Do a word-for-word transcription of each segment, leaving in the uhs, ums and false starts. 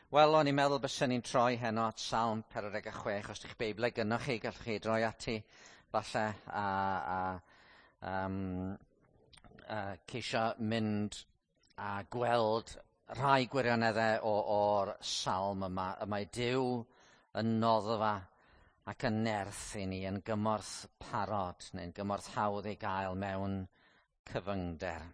Wel, o'n i'n meddwl byswn ni'n troi heno at Salm pedwar deg chwech. Os ydych Beiblau gynnoch chi, gallwch chi droi ati falle a, a um, a ceisio mynd a gweld rhai gwirioneddau o'r salm yma. Y mae Duw yn noddfa ac yn nerth i ni, yn gymorth parod neu'n gymorth hawdd ei gael mewn cyfyngder.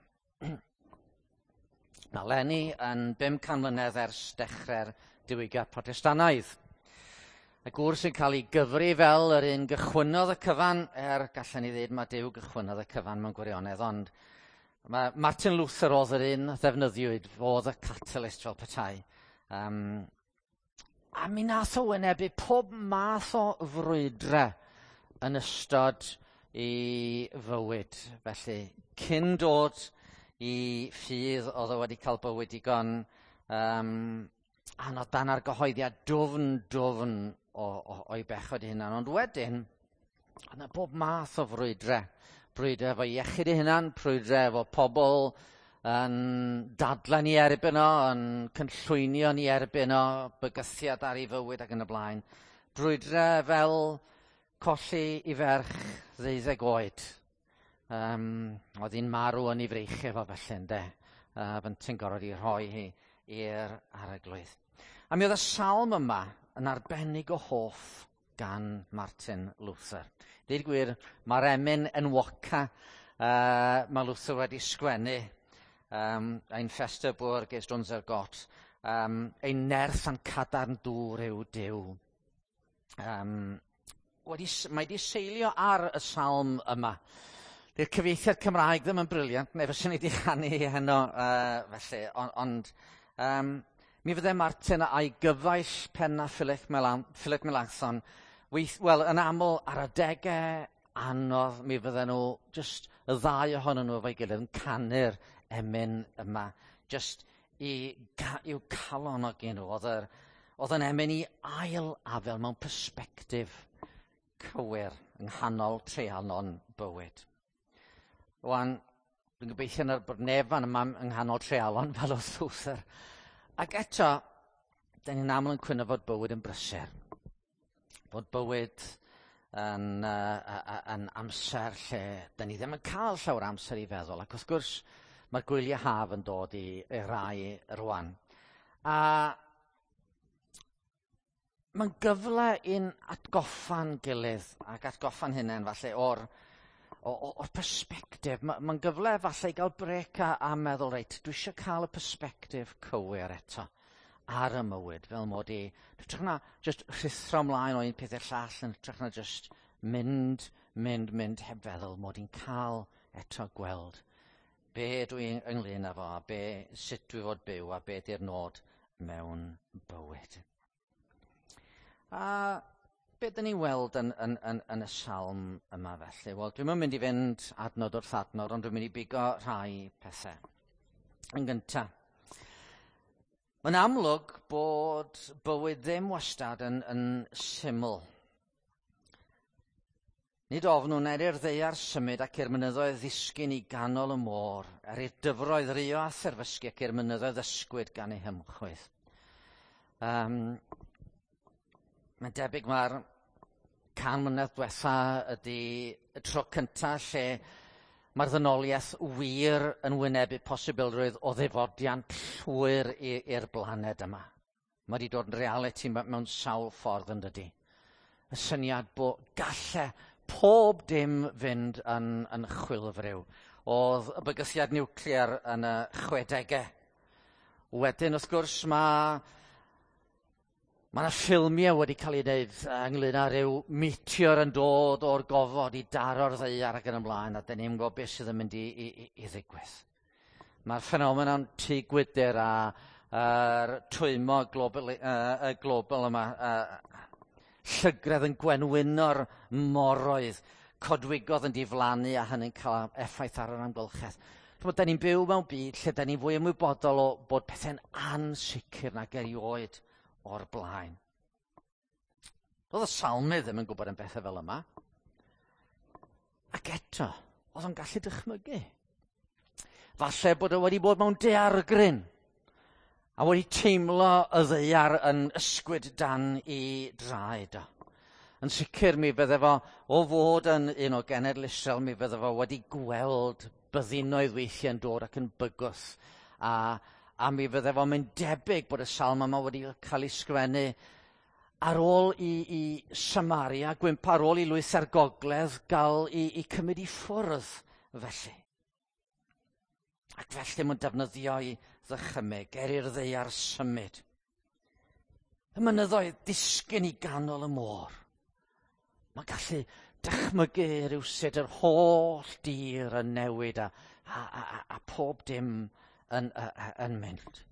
Mae eleni yn bum can mlynedd ers dechrau'r diwygiad Protestannaidd. Y gŵr sy'n cael ei gyfri fel yr un gychwynnodd y cyfan, er gallen ni ddweud mae Duw gychwynnodd y cyfan mewn gwirionedd, ond mae Martin Luther oedd yr un ddefnyddiwyd, fod y catalyst fel petai. Um, a mi nath o wynebu pob math o frwydre yn ystod ei fywyd. Felly, cyn dod i ffydd, oedd o wedi cael bywyd digon um, anodd dan argyhoeddiad dwfn, dwfn o, o, o'i bechod ei hunan. Ond wedyn, oedd yna bob math o frwydre. Brwydre efo iechyd ei hunan, brwydre efo pobl yn dadlau ni erbyn o, yn cynllwynio ni erbyn o, bygythiad ar ei fywyd ac yn y blaen. Brwydre fel colli i ferch ddeuddeg oed. Um, oedd hi'n marw yn ei freichiau fo felly, ynde. Uh, Fynti'n gorfod i rhoi hi i'r arglwydd. A mi oedd y salm yma yn arbennig o hoff gan Martin Luther. Deud gwir, mae'r emyn enwoca uh, mae Luther wedi sgwennu, um, Ein feste Burg ist unser Gott, um, ein nerth a'n cadarn dŵr yw Duw. Um, wedi, mae wedi seilio ar y salm yma. Dy'r cyfieithiad Cymraeg ddim yn brilliant, neu fyswn i wedi chanu heno, uh, felly, ond, ond um, mi fydde Martin a'i gyfaill penna Philip, Melan, Philip Melanchthon, weith, wel, yn aml ar adegau anodd, mi fydden nhw, just y ddau ohonyn nhw efo'i gilydd yn canu'r emyn yma, just i, i'w calonogi nhw. Oedd, yr, oedd yn emyn i ail afel mewn persbectif cywir yng nghanol treialon bywyd. Rwan, dwi'n gobeithio na bod neb fan yma yng nghanol treialon fel oedd Luther. Ac eto, da ni'n aml yn cwyno fod bywyd yn brysur. Bod bywyd yn, uh, yn amser lle da ni ddim yn cael llawer amser i feddwl. Ac wrth gwrs, mae'r gwyliau haf yn dod i, i rai rwan. A mae'n gyfle i'n atgoffa'n gilydd ac atgoffa'n hunain falle o'r o'r persbectif. Mae'n ma gyfle falle i gael brec a, a meddwl, reit, dwi eisiau cael y persbectif cywir eto ar y mywyd, fel mod i, hytrach na just rhuthro ymlaen o un peth i'r llall, yn hytrach na just mynd, mynd, mynd heb feddwl, mod i'n cael eto gweld be dwi ynglyn â fo, a be, sut dwi fod byw, a be di'r nod mewn bywyd. A be dyn ni'n weld yn, yn, yn, yn y salm yma felly? Wel, dwi'm yn mynd i fynd adnod wrth adnod, ond dwi'n mynd i bigo rhai pethau. Yn gyntaf, mae'n amlwg bod bywyd ddim wastad yn, yn syml. Nid ofnwn er i'r ddaear symud ac i'r mynyddoedd ddisgyn i ganol y môr, er i'r dyfroedd rio a therfysgu ac i'r mynyddoedd ysgwyd gan eu hymchwydd. Um, Mae'n debyg mae'r can mlynedd diwetha ydy y tro cyntaf lle mae'r ddynoliaeth wir yn wynebu posibilrwydd o ddifodiant llwyr i'r blaned yma. Mae wedi dod yn realiti mewn sawl ffordd yn dydy. Y syniad bod galle pob dim fynd yn, yn chwilfriw. Oedd y bygythiad niwclear yn y chwedegau. Wedyn, wrth gwrs, mae Mae yna ffilmiau wedi cael ei wneud ynglyn â rhyw meteor yn dod o'r gofod i daro'r ddaear ac yn ymlaen, a dyn ni'n gwybod beth sydd yn mynd i, i, i, i ddigwydd. Mae'r ffenomenon tŷ gwydr a a'r twymo global, uh, global yma, uh, llygredd yn gwenwyno'r moroedd, codwigodd yn diflannu a hynny'n cael effaith ar yr amgylchedd. Da ni'n byw mewn byd lle da ni'n fwy ymwybodol o bod pethau'n ansicr nag erioed o'r blaen. Doedd y salmydd ddim yn gwybod am bethau fel yma. Ac eto, oedd o'n gallu dychmygu. Falle bod o wedi bod mewn daeargryn. A wedi teimlo y ddaear yn ysgwyd dan i draed o. Yn sicr mi fydde fo o fod yn un o genedl Israel, mi fydde fo wedi gweld byddinoedd weithiau'n dod ac yn bygwth. A, a mi fydde fo'n mynd debyg bod y salm yma wedi cael ei sgrifennu ar ôl i, i Samaria, gwympo ar ôl i lwyth ar gogledd gael i, i cymryd i ffwrdd felly. Ac felly mae'n defnyddio i ddychymyg er i'r ddaear symud. Y mynyddoedd disgyn i ganol y môr. Mae'n gallu dychmygu rhywsut yr holl dir yn newid a, a, a, a pob dim yn, yn mynd.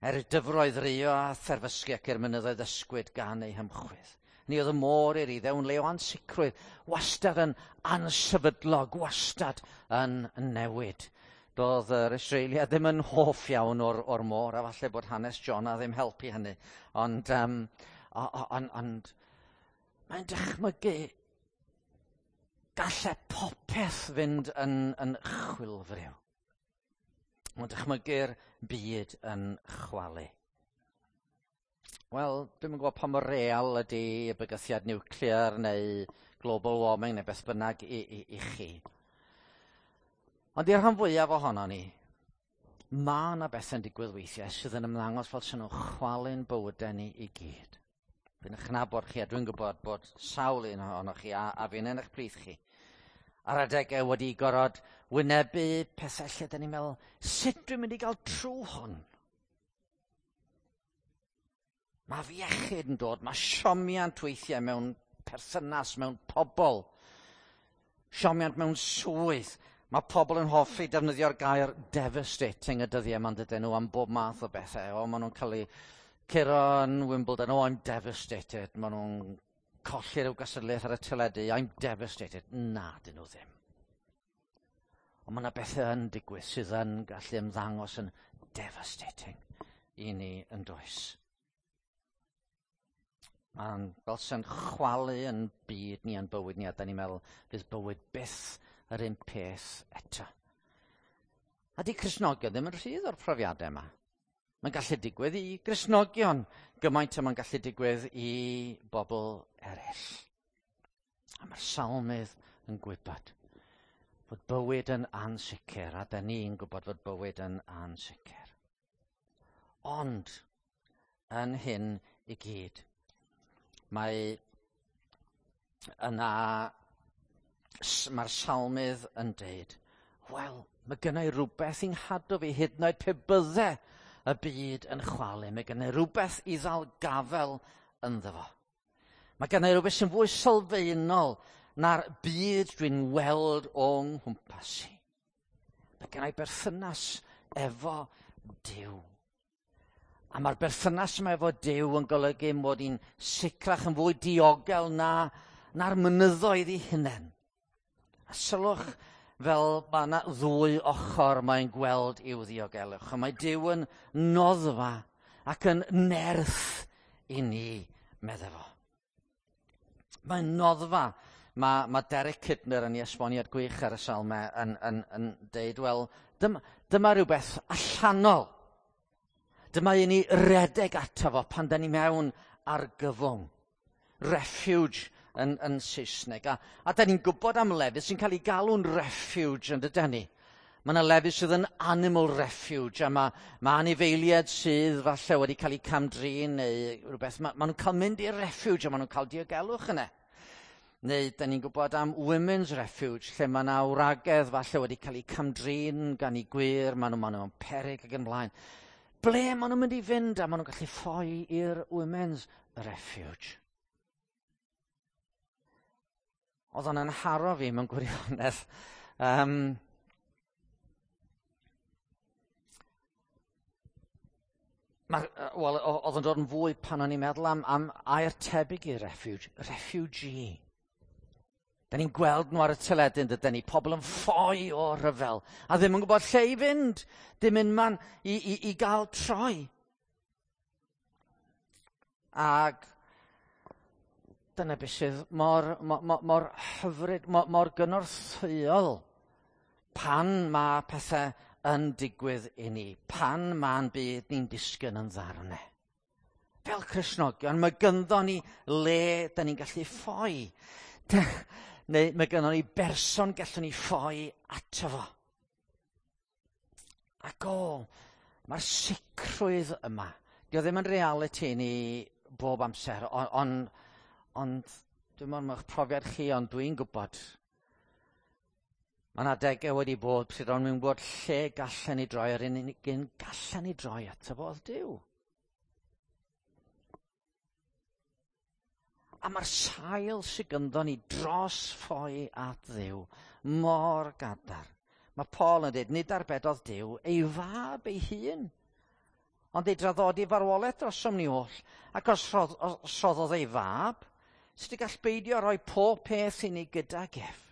Er y dyfroedd rio a therfysgu ac i'r mynyddoedd ysgwyd gan eu hymchwydd. Ni oedd y môr i'r Iddew yn le o ansicrwydd, wastad yn ansefydlog, wastad yn newid. Doedd yr Israeliaid ddim yn hoff iawn o'r, o'r môr, a falle bod hanes Jonah ddim helpu hynny. Ond, um, ond, ond mae'n dychmygu gallai popeth fynd yn, yn chwilfriw. Mae'n dychmygu'r byd yn chwalu. Wel, dwi'm yn gwybod pa mor real ydy y bygythiad niwclear neu global warming neu beth bynnag i, i, i chi. Ond i'r rhan fwyaf ohono ni, mae yna bethau'n digwydd weithiau sydd yn ymddangos fel sy'n nhw'n chwalu'n bywydau ni i gyd. Fi'n eich nabod chi, a dwi'n gwybod bod sawl un ohonoch chi, a, a fi'n yn eich plith chi, ar adegau wedi gorfod wynebu pethau lle da ni'n meddwl, sut dwi'n mynd i gael trwy hwn? Mae afiechyd yn dod, mae siomiant weithiau mewn perthynas, mewn pobl, siomiant mewn swydd. Mae pobl yn hoffi defnyddio'r gair devastating y dyddiau yma'n dydyn nhw am bob math o bethau. O, maen nhw'n cael eu curo yn Wimbledon, oh, I'm devastated. Maen nhw'n colli rhyw gystadleuaeth ar y teledu, I'm devastated. Na, dyn nhw ddim. Ond mae yna bethau yn digwydd sydd yn gallu ymddangos yn devastating i ni yn does. Mae'n fel sy'n chwalu yn byd ni a'n bywyd ni, a da ni'n meddwl fydd bywyd byth yr un peth eto. A di Cristnogion ddim yn rhydd o'r profiadau yma. Mae'n gallu digwydd i Gristnogion gymaint a mae'n gallu digwydd i bobl eraill. A mae'r salmydd yn gwybod fod bywyd yn ansicr, a da ni'n gwybod fod bywyd yn ansicr. Ond, yn hyn i gyd, mae yna, mae'r salmydd yn deud, wel, mae gynna i rhywbeth i'n nghadw fi hyd yn oed pe bydde y byd yn chwalu. Mae gynna i rhywbeth i ddal gafel ynddo fo. Mae gynna i rhywbeth sy'n fwy sylfaenol na'r byd dwi'n weld o'n nghwmpas i. Mae gynna i berthynas efo Duw. A mae'r berthynas yma efo Duw yn golygu mod i'n sicrach yn fwy diogel na, na'r mynyddoedd eu hunain. A sylwch fel mae yna ddwy ochr mae'n gweld i'w ddiogelwch. A mae Duw yn noddfa ac yn nerth i ni, medde fo. Mae'n noddfa. Mae, mae Derek Kidner yn ei esboniad gwych ar y salmau yn, yn, yn deud, wel, dyma, dyma rhywbeth allanol. Dyma i ni redeg ato fo pan da ni mewn argyfwng. Refuge yn, yn Saesneg. A, a da ni'n gwybod am lefydd sy'n cael ei galw'n refuge yn dydyn ni. Mae yna lefydd sydd yn animal refuge, a mae, mae anifeiliaid sydd falle wedi cael eu camdrin neu rhywbeth. Mae, ma nhw'n cael mynd i'r refuge a maen nhw'n cael diogelwch yna. Neu da ni'n gwybod am women's refuge, lle mae yna wragedd falle wedi cael eu camdrin gan eu gwŷr, maen nhw, maen nhw'n peryg ac yn blaen. Ble maen nhw'n mynd i fynd a maen nhw'n gallu ffoi i'r women's refuge? Oedd o'n anharo fi mewn gwirionedd. Um, Wel, oedd o'n dod yn fwy pan o'n i'n meddwl am, am air tebyg i refuge, refugee. Da ni'n gweld nhw ar y teledu yn dydyn ni, pobl yn ffoi o rhyfel, a ddim yn gwybod lle i fynd, dim unman i, i, i gael troi. Ac dyna beth sydd mor, mor, mor, mor hyfryd, mor, mor gynorthwyol pan mae pethau yn digwydd i ni pan ma'n byd ni'n disgyn yn ddarnau. Fel Cristnogion, mae gynddo ni le da ni'n gallu ffoi. Neu mae gynnon ni berson gallwn ni ffoi ato fo. Ac o, mae'r sicrwydd yma. Dio ddim yn realiti ni bob amser, ond on, ond dwi'n meddwl mae'ch profiad chi, ond dwi'n gwybod. Mae yna adegau wedi bod pryd o'n i'n gwybod lle gallen ni droi, yr unig un gallen ni droi ato fo oedd Duw. A mae'r sail sydd gynddo ni dros ffoi at Dduw mor gadarn. Mae Paul yn dweud, nid arbedodd Duw ei fab ei hun, ond ei draddodi farwolaeth drosom ni oll. Ac os rhoddodd ei fab, sut y gall beidio roi pob peth i ni gydag ef?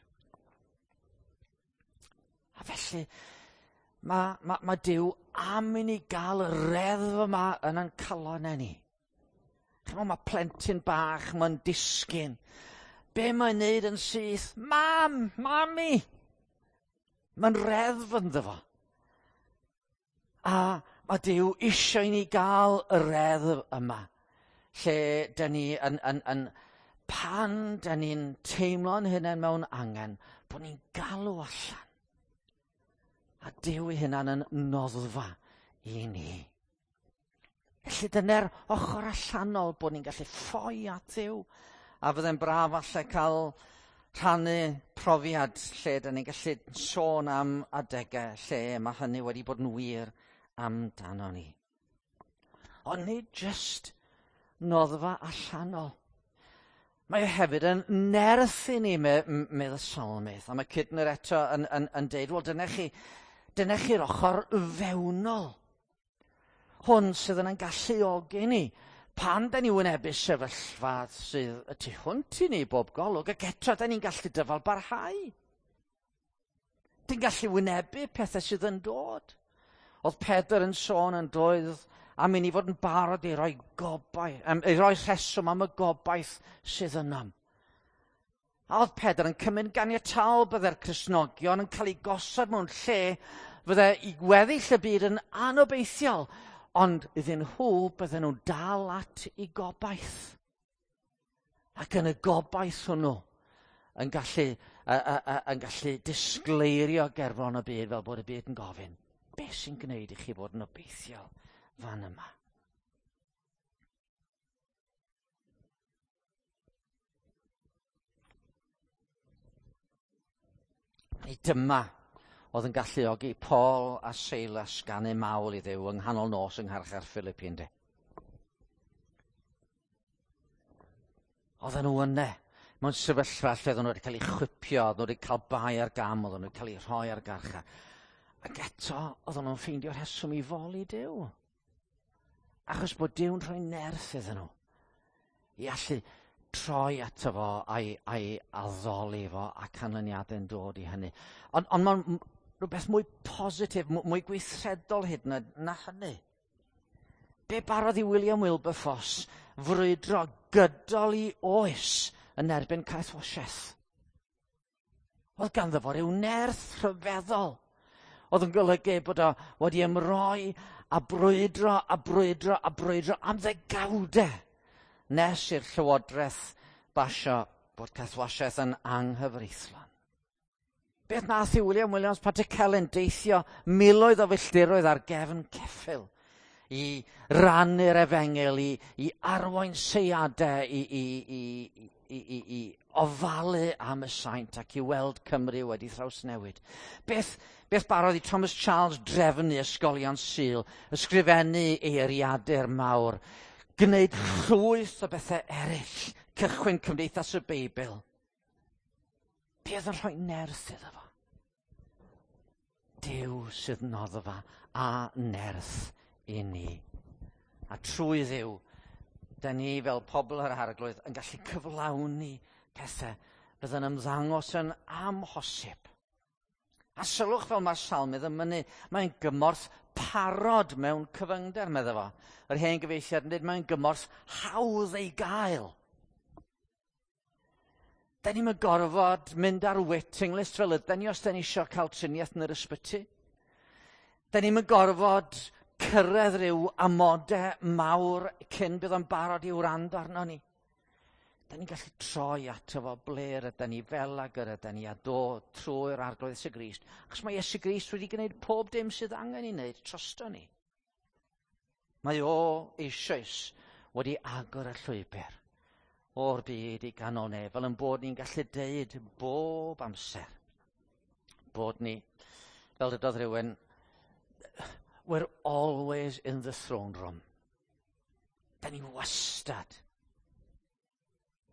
A felly, mae, mae, mae Duw am i ni gael y reddf yma yn ein calonnau ni. Chymod, mae plentyn bach, mae'n disgyn. Be mae'n neud yn syth? Mam, mami! Mae'n reddf ynddo fo. A mae Duw eisiau i ni gael y reddf yma, lle dyn ni yn, yn, yn, pan dyn ni'n teimlo'n hunain mewn angen, bod ni'n galw allan. A Duw ei hunan yn noddfa i ni. Felly dyna'r ochr allanol bod ni'n gallu ffoi at Dduw. A fydde'n braf falle cael rhannu profiad lle dyn ni'n gallu sôn am adegau lle mae hynny wedi bod yn wir amdano ni. Ond nid jyst noddfa allanol. Mae o hefyd yn nerth i ni, medd y salmydd. A mae Kidner eto yn, yn, yn deud, wel dyna chi, dyna chi'r ochr fewnol. Hwn sydd yn ein galluogi ni. Pan da ni wynebu sefyllfa sydd y tu hwnt i ni bob golwg, ac eto da ni'n gallu dyfal barhau. Dyn gallu wynebu pethau sydd yn dod. Oedd Pedr yn sôn yn doedd am i ni fod yn barod i roi gobaith, am, i roi rheswm am y gobaith sydd ynom. A oedd Pedr yn cymryd ganiataol byddai'r Cristnogion yn cael ei gosod mewn lle fydde i gweddill y byd yn anobeithiol, ond iddyn nhw bydden nhw'n dal at i gobaith. Ac yn y gobaith hwnnw yn gallu, a, a, a, yn gallu disgleirio gerfon y byd fel bod y byd yn gofyn, beth sy'n gwneud i chi fod yn obeithiol fan yma? Neu dyma oedd yn galluogi Paul a Silas ganu mawl i Dduw yng nghanol nos yng ngharchar Philippi, ynddi. Oedden nhw yna, mewn sefyllfa lle oedden nhw wedi cael eu chwipio, oedden nhw wedi cael bai ar gam, oedden nhw wedi cael eu rhoi ar garchar. Ac eto, oedden nhw'n ffeindio rheswm i foli Duw. Achos bod Duw'n rhoi nerth iddyn nhw i allu troi ato fo a'i, a'i addoli fo a canlyniadau'n dod i hynny. Ond on mae'n rhywbeth mwy positif, mwy gweithredol hyd na, na hynny. Be barodd i William Wilberforce frwydro gydol i oes yn erbyn caethwasiaeth? Oedd ganddo fo ryw nerth rhyfeddol. Oedd yn golygu bod o wedi ymroi a brwydro a brwydro a brwydro am ddegawdau nes i'r Llywodraeth basio bod caethwasiaeth yn anghyfreithlon. Beth nath i William Williams Pantycelyn deithio miloedd o filltiroedd ar gefn ceffyl i rannu'r efengyl, i, i arwain seiadau, i, i, i, i, i, i ofalu am y saint ac i weld Cymru wedi thrawsnewid. Beth, beth barodd i Thomas Charles drefnu ysgolion Sul, ysgrifennu eiriadur mawr, gwneud llwyth o bethau eraill, cychwyn Cymdeithas y Beibl. Beth yn rhoi nerth iddo fo? Duw sydd noddfa a nerth i ni. A trwy Dduw, da ni fel pobl yr Arglwydd yn gallu cyflawni pethau fydd yn ymddangos yn amhosib. A sylwch fel mae'r salmydd yn mynnu, mae'n gymorth parod mewn cyfyngder, medda fo. Yr hen gyfieithiad yn dweud, mae'n gymorth hawdd ei gael. Da ni'm yn gorfod mynd ar waiting list fel ydyn ni os da ni eisiau cael triniaeth yn yr ysbyty. Da ni'n gorfod cyrraedd rhyw amodau mawr cyn bydd o'n barod i wrando arno ni. Da ni'n gallu troi ato fo ble rydyn ni fel ag yr ydyn ni a dod trwy'r Arglwydd Iesu Grist. Achos mae Iesu Grist wedi gwneud pob dim sydd angen ei wneud drosto ni. Mae o eisoes wedi agor y llwybr o'r byd i ganol nef, fel yn bod ni'n gallu deud bob amser bod ni, fel dydodd rhywun, we're always in the throne room. Da ni wastad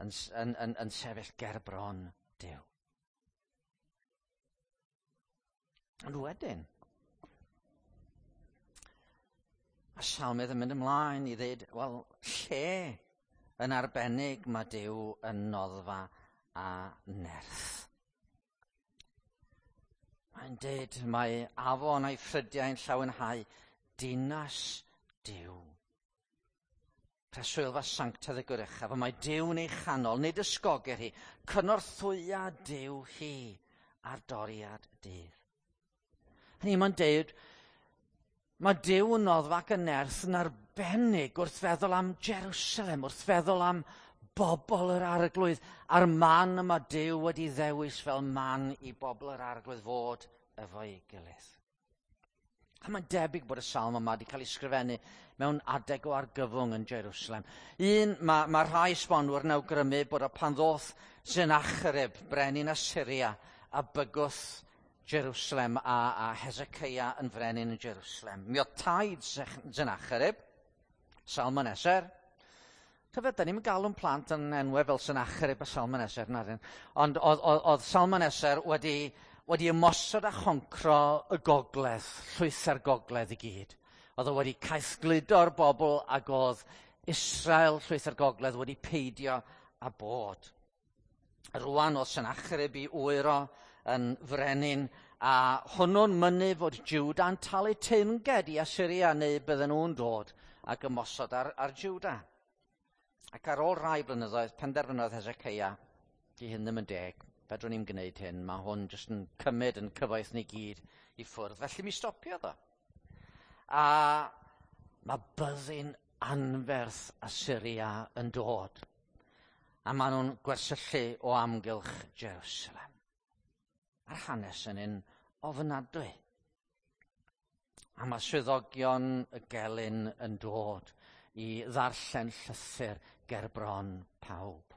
yn, yn, yn, yn sefyll ger bron Duw. Ond wedyn, mae Salmydd yn mynd ymlaen i ddweud, wel, lle yn arbennig mae Duw yn noddfa a nerth. Mae'n dweud mae afon a'i ffrydiau'n llawenhau dinas Duw. Preswylfa sanctaidd y Goruchaf, a mae Duw'n ei chanol, nid ysgogir hi, cynorthwya Duw hi ar doriad dydd. Hynny mae'n deud, mae Duw yn noddfa ac yn nerth yn arbennig wrth feddwl am Jerusalem, wrth feddwl am bobl yr Arglwydd, a'r man y mae Duw wedi ddewis fel man i bobl yr Arglwydd fod efo'i gilydd. A mae'n debyg bod y salm yma wedi cael ei sgrifennu mewn adeg o argyfwng yn Jerusalem. Un, mae, mae rhai esbonwyr yn awgrymu bod o pan ddoth Sennacherib, brenin Assyria, a bygwth Jerusalem a, a Hezekiah yn frenin yn Jerusalem. Mi oedd taid Sennacherib, Salmaneser. Tyfed, da ni'n galw'n plant yn enwau fel Sennacherib a Salmaneser, na dyn. Ond oedd, oedd, oedd Salmaneser wedi, wedi ymosod a choncro y gogledd, llwyth gogledd i gyd. Oedd o wedi caethgludo'r bobl ac oedd Israel, llwyth gogledd, wedi peidio a bod. Rwan oedd Sennacherib i wyro yn frenin, a hwnnw'n mynnu fod Jwda'n talu teyrnged i Assyria neu bydden nhw'n dod ac ymosod ar, ar Jwda. Ac ar ôl rhai blynyddoedd, penderfynodd Hezekiah, di hyn ddim yn deg, fedrwn ni'n gwneud hyn, mae hwn jyst yn cymryd yn cyfoeth ni gyd i ffwrdd. Felly mi stopiodd o. A mae byddin anferth Assyria yn dod. A maen nhw'n gwersyllu o amgylch Jerusalem. A'r hanes yn un ofnadwy. A mae swyddogion y gelyn yn dod i ddarllen llythyr ger bron pawb.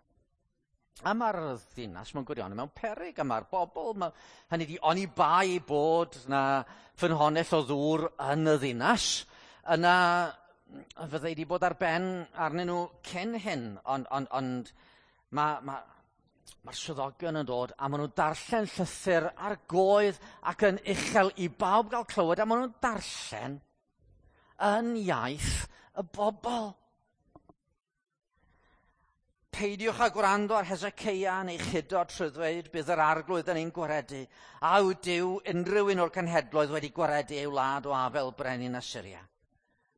A mae'r ddinas mewn gwirionedd mewn peryg, a mae'r bobl, ma, hynny di, oni bai bod na ffynhonnell o ddŵr yn y ddinas, yna fyddai wedi bod ar ben arnyn nhw cyn hyn, ond, ond, ond mae ma, mae'r swyddogion yn dod a maen nhw'n darllen llythyr ar goedd ac yn uchel i bawb gael clywed, a maen nhw'n darllen yn iaith y bobl. Peidiwch â gwrando ar Hezekiah neu chudo trwy ddweud bydd yr Arglwydd yn ein gwaredu, a yw Duw unrhyw un o'r cenhedloedd wedi gwaredu ei wlad o afel brenin Assyria.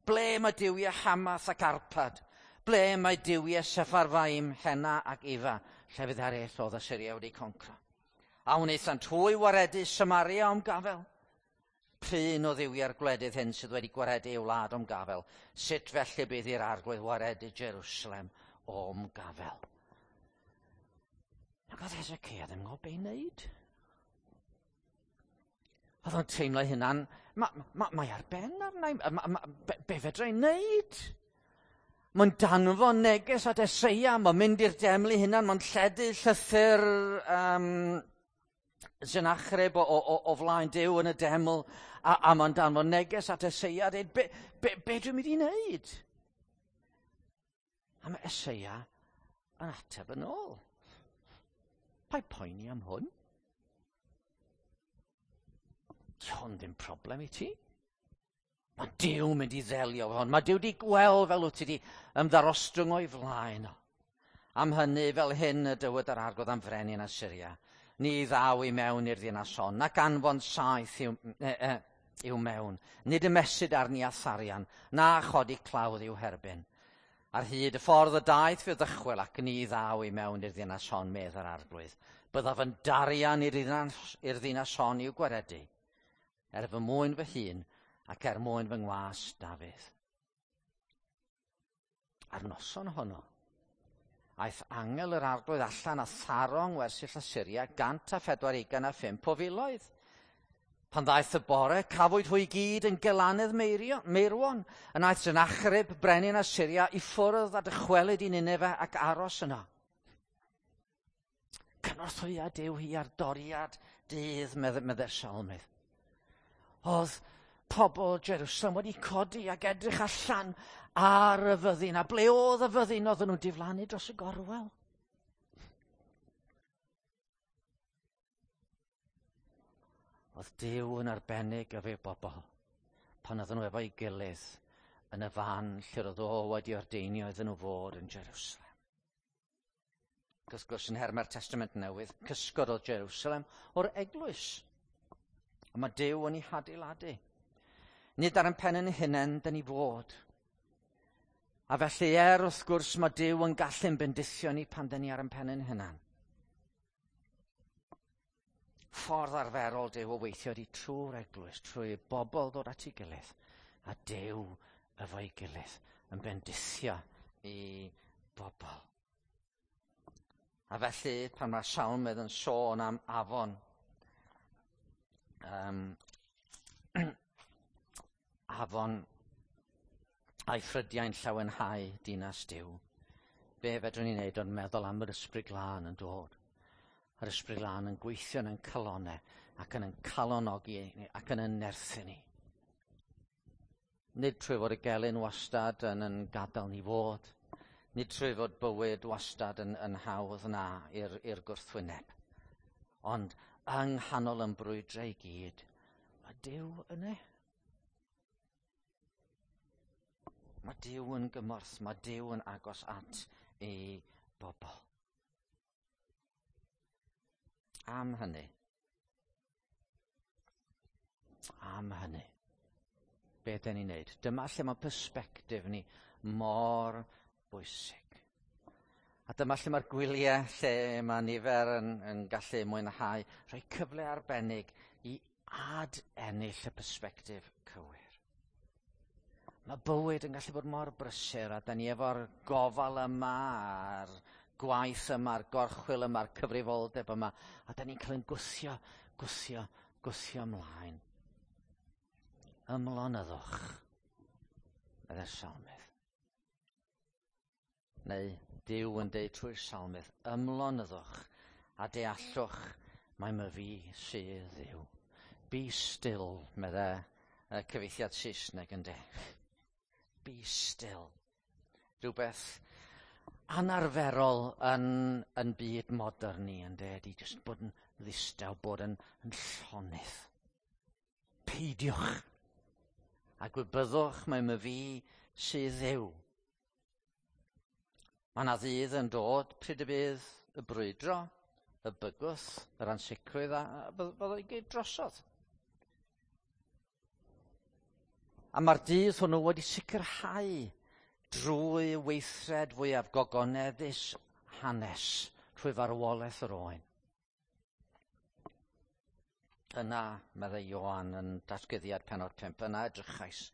Ble mae duwiau Hamath ac Arpad? Ble mae duwiau Sepharfaim, Hena ac Ifa, llefydd eraill oedd Assyria wedi concro? A wnaethant hwy waredu Samaria o'm gafel? Prin o dduwiau'r gwledydd hyn sydd wedi gwaredu ei wlad o'm gafel? Sut felly bydd i'r Arglwydd waredu Jerusalem o'm gafel? Ac oedd Hezekiah ddim yn gwybod be i wneud. Oedd o'n teimlo ei hunan, ma, ma, mae ar ben arna i, ma, ma, be, be fedra i wneud? Mae'n danfon neges at Eseia, mae'n mynd i'r deml ei hunan, mae'n lledu llythyr um, Sennacherib o, o, o flaen Duw yn y deml, a, a mae'n danfon neges at Eseia, dweud, be, be, be dwi'n mynd i wneud? A mae Eseia yn ateb yn ôl. Paid poeni am hwn. Di hwn ddim problem i ti. Mae Duw mynd i ddelio efo hwn. Mae Duw wedi gweld fel wyt ti wedi ymddarostwng o'i flaen o. Am hynny, fel hyn y dywed yr Arglwydd am frenin Assyria. Ni ddaw i mewn i'r ddinas hon, nac anfon saeth i'w, e, e, i'w mewn. Nid ymesyd arni â tharian, na chodi clawdd i'w herbyn. Ar hyd y ffordd y daeth fe ddychwel ac ni ddaw i mewn i'r ddinas hon, medd yr Arglwydd. Byddaf yn darian i'r ddinas, i'r ddinas hon i'w gwaredu, er fy mwyn fy hun ac er mwyn fy ngwas Dafydd. A'r noson honno, aeth angel yr Arglwydd allan a tharo yng ngwersyll Asyria gant a phedwar ugain a phump o filoedd. Pan ddaeth y bore, cafwyd hwy gyd yn gelanedd meirwon, yn aeth Sennacherib, brenin Asyria, i ffwrdd a dychwelyd i Ninefe ac aros yno. Cynorthwya Duw hi ar doriad dydd, medde'r salmydd. Oedd pobl Jerusalem wedi codi ac edrych allan ar y fyddin, a ble oedd y fyddin oedden nhw'n diflannu dros y gorwel. Oedd Duw yn arbennig efo'i bobl pan oedden nhw efo'i gilydd yn y fan lle roedd o wedi ordeinio iddyn nhw fod yn Jerusalem. Ac wrth gwrs, yn nhermau'r Testament Newydd, cysgod oedd Jerusalem o'r eglwys. A mae Duw yn ei hadeiladu. Nid ar ein pen ein hunain dyn ni fod. A felly er wrth gwrs mae Duw yn gallu'n bendithio ni pan dyn ni ar ein pen ein hunain. Ffordd arferol Duw o weithio ydy trwy'r eglwys, trwy bobl ddod at ei gilydd, a Duw efo'i gilydd yn bendithio i bobl. A felly, pan mae'r salmydd yn sôn am afon, um, afon a'i ffrydiau'n llawenhau dinas Duw, be fedrwn ni wneud ond meddwl am yr Ysbryd Glân yn dod. Yr Ysbryd Glân yn gweithio yn ein calonau ac yn ein calonogi ac yn ein nerthu ni. Nid trwy fod y gelyn wastad yn yn gadael ni fod, nid trwy fod bywyd wastad yn, yn hawdd na i'r, i'r gwrthwyneb, ond yng nghanol yn brwydrau i gyd, mae Duw yna. Mae Duw yn gymorth, mae Duw yn agos at ei bobl. Am hynny, am hynny, be dyn ni'n neud? Dyma lle mae persbectif ni mor bwysig. A dyma lle mae'r gwyliau lle mae nifer yn, yn gallu mwynhau, rhoi cyfle arbennig i ad ennill y persbectif cywir. Mae bywyd yn gallu bod mor brysur, a da ni efo'r gofal yma, a'r gwaith yma, a'r gorchwyl yma, a'r cyfrifoldeb yma, a da ni'n cael ein gwthio, gwthio, gwthio ymlaen. Ymlonyddwch, medde'r salmydd. Neu Duw yn deud trwy'r salmydd, ymlonyddwch a deallwch mai myfi sydd Dduw. Be still, medde y cyfieithiad Saesneg yn de. Be still. Rhywbeth anarferol yn, yn byd modern ni, yn de, ydy jyst bod yn ddistaw, bod yn, yn llonydd. Peidiwch a gwybyddwch mai myfi sydd Dduw. Mae yna ddydd yn dod pryd y bydd y brwydro, y bygwth, yr ansicrwydd, a bydd o'i gyd drosodd. A mae'r dydd hwnnw wedi sicrhau drwy weithred fwyaf gogoneddus hanes, trwy farwolaeth yr oen. Yna, meddai Ioan yn datguddiad pennod pump, yna edrychais,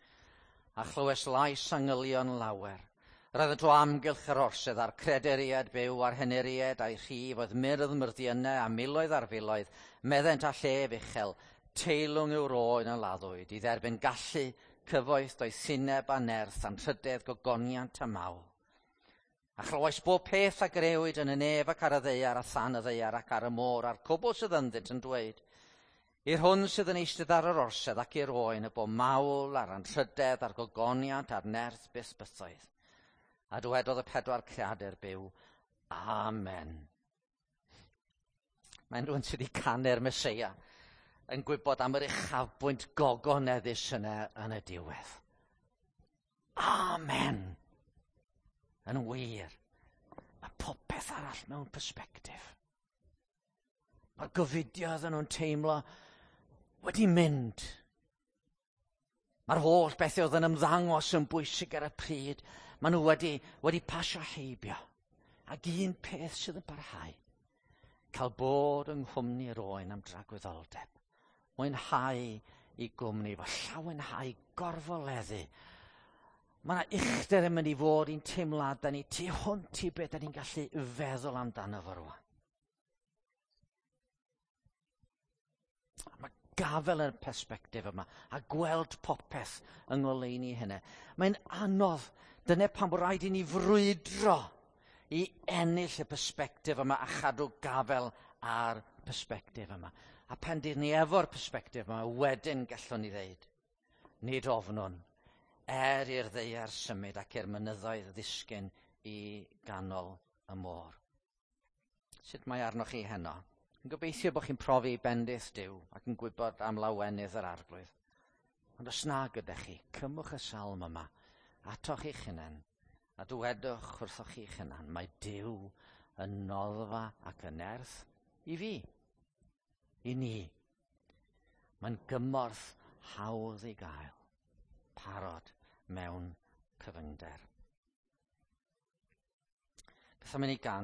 a chlywes lais angylion lawer. Roeddent o amgylch yr orsedd a'r crederiad byw a'r henuried a'i rhif oedd myrdd myrddiynau a miloedd ar filoedd, meddent a llef uchel, teilwng yw'r oen a laddwyd, i dderbyn gallu, cyfoeth, doethineb a nerth, anrhydedd, gogoniant a mawl. A chlywais bob peth a grëwyd yn y nef ac ar y ddaear a than y ddaear ac ar y môr a'r cwbl sydd ynddynt yn dweud, i'r hwn sydd yn eistedd ar yr orsedd ac i'r oen y bo mawl a'r anrhydedd a'r gogoniant a'r nerth byth bythoedd. A dywedodd y pedwar creadur byw, Amen. Mae'n rhywun sydd wedi canu'r Meseia yn gwybod am yr uchafbwynt gogoneddus yna yn y diwedd. Amen. Yn wir, mae popeth arall mewn persbectif. Mae'r gofidio oedden nhw'n teimlo wedi mynd. Mae'r holl bethau oedd yn ymddangos yn bwysig ar y pryd, maen nhw wedi, wedi pasio heibio. Ac un peth sydd yn parhau, cael bod yng nghwmni'r oen am dragwyddoldeb, mwynhau i gwmni fo, llawenhau, gorfoleddu. Mae yna uchder yn mynd i fod i'n teimladau ni tu hwnt i beth da ni'n gallu feddwl amdano fo rwan. Mae gafel yn y persbectif yma a gweld popeth yng ngoleuni hynny. Mae'n anodd. Dyna pam bod rhaid i ni frwydro i ennill y persbectif yma a chadw gafel ar persbectif yma. A pen dyn ni efo'r persbectif yma, wedyn gallwn ni ddeud, nid ofnwn, er i'r ddaear symud ac i'r mynyddoedd ddisgyn i ganol y môr. Sut mae arnoch chi heno? Yn gobeithio bod chi'n profi bendith Duw ac yn gwybod am lawenydd yr Arglwydd. Ond os na gyda chi, cymwch y salm yma atoch chi'ch hunain a dywedwch wrthoch chi'ch hunan, mae Duw yn noddfa ac yn nerth i fi, i ni. Mae'n gymorth hawdd i gael, parod mewn cyfyngder. Beth am i ni ganu?